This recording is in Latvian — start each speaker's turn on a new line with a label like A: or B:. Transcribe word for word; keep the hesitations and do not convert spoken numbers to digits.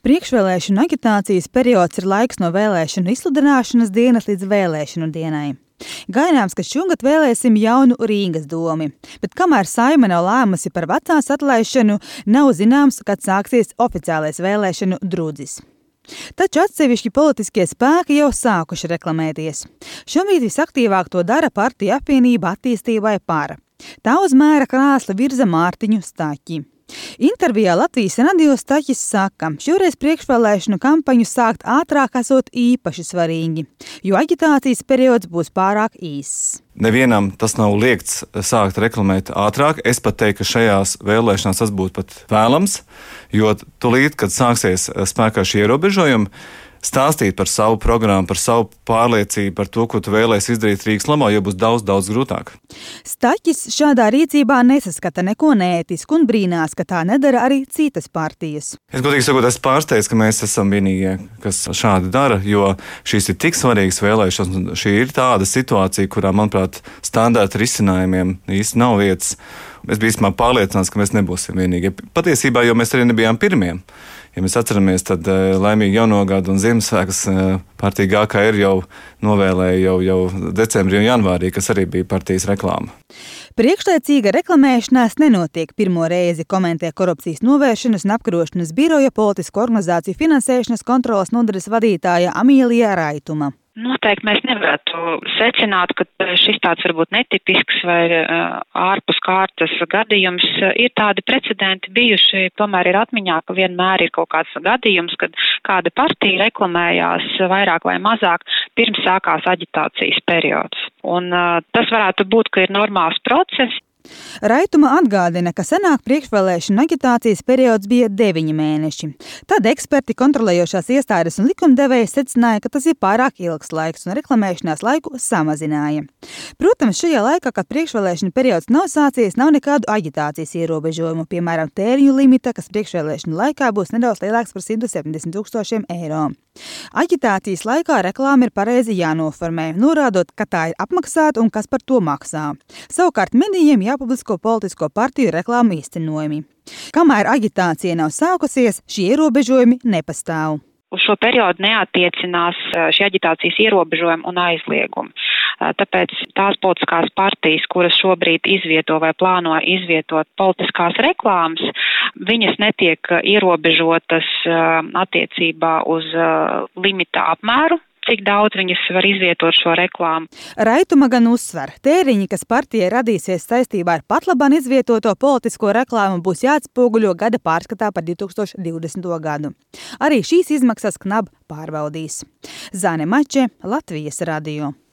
A: Priekšvēlēšanu aģitācijas periods ir laiks no vēlēšanu izsludināšanas dienas līdz vēlēšanu dienai. Gaidāms, ka šogad vēlēsim jaunu Rīgas domi, bet kamēr Saeima nav lēmusi par vecās atlaišanu, nav zināms, kad sāksies oficiālais vēlēšanu drudzis. Taču atsevišķi politiskie spēki jau sākuši reklamēties. Šobrīd visaktīvāk to dara partija apvienība attīstībai par. Tā uz mēra krāsla virza Mārtiņu Staķi. Intervijā Latvijas radio Staķis saka, šoreiz priekšvēlēšanu kampaņu sākt ātrāk esot īpaši svarīgi, jo aģitācijas periods būs pārāk īss.
B: Nevienam tas nav liegts sākt reklamēt ātrāk. Es pat teiktu, ka šajās vēlēšanās tas būtu pat vēlams, jo tulīt, kad sāksies spēkā šie ierobežojumi, stāstīt par savu programmu, par savu pārliecību, par to, ko tu vēlēsi izdarīt Rīgas labā, jo būs daudz, daudz grūtāk.
A: Staķis šādā rīcībā nesaskata neko neētisku un brīnās, ka tā nedara arī citas partijas.
B: Es godīgi sakot, es pārsteidzu, ka mēs esam vienīgie, kas šādi dara, jo šīs ir tik svarīgas vēlēšanas. Šī ir tāda situācija, kurā, manuprāt, standarta risinājumiem īsti nav vietas. Es biju īstenībā pārliecināts, ka mēs nebūsim vienīgie. Patiesībā, jo mēs arī nebijām pirmie. Ja mēs atceramies, tad laimīgi jauno gadu un Ziemassvētkus partija G K R jau novēlēja jau, jau decembrī un janvārī, kas arī bija partijas reklāma.
A: Priekšlaicīga reklamēšanās nenotiek pirmo reizi, komentē Korupcijas novēršanas un apkarošanas biroja politisko organizāciju finansēšanas kontroles nodaļas vadītāja Amīlija Raituma.
C: Noteikti mēs nevarētu secināt, ka šis tāds varbūt netipisks vai ārpus kārtas gadījums. Ir tādi precedenti bijuši, tomēr ir atmiņā, ka vienmēr ir kaut kāds gadījums, kad kāda partija reklamējās vairāk vai mazāk pirms sākās aģitācijas periods. Un tas varētu būt, ka ir normāls process.
A: Raituma atgādina, ka senāk priekšvēlēšanu aģitācijas periods bija deviņi mēneši. Tad eksperti, kontrolējošās iestādes un likumdevēji secināja, ka tas ir pārāk ilgs laiks un reklamēšanās laiku samazināja. Protams, šajā laikā, kad priekšvēlēšanu periods nav sācies, nav nekādu aģitācijas ierobežojumu, piemēram, tēriņu limita, kas priekšvēlēšanu laikā būs nedaudz lielāks par simt septiņdesmit tūkstošiem eiro. Aģitācijas laikā reklāma ir pareizi jānoformē, norādot, ka tā ir apmaksāta un kas par to maksā. Savukārt medijiem jāpublisko politisko partiju reklāmu īstenojumi. Kamēr aģitācija nav sākusies, šie ierobežojumi nepastāv.
C: Uz šo periodu neatiecinās šie aģitācijas ierobežojumi un aizliegumi. Tāpēc tās politiskās partijas, kuras šobrīd izvieto vai plāno izvietot politiskās reklāmas, viņas netiek ierobežotas attiecībā uz limita apmēru, cik daudz viņas var izvietot šo reklāmu.
A: Raituma gan uzsver, tēriņi, kas partijai radīsies saistībā ar patlaban izvietoto politisko reklāmu, būs jāatspoguļo gada pārskatā par divi tūkstoši divdesmito gadu. Arī šīs izmaksas K N A B pārbaudīs. Zane Mače, Latvijas radio.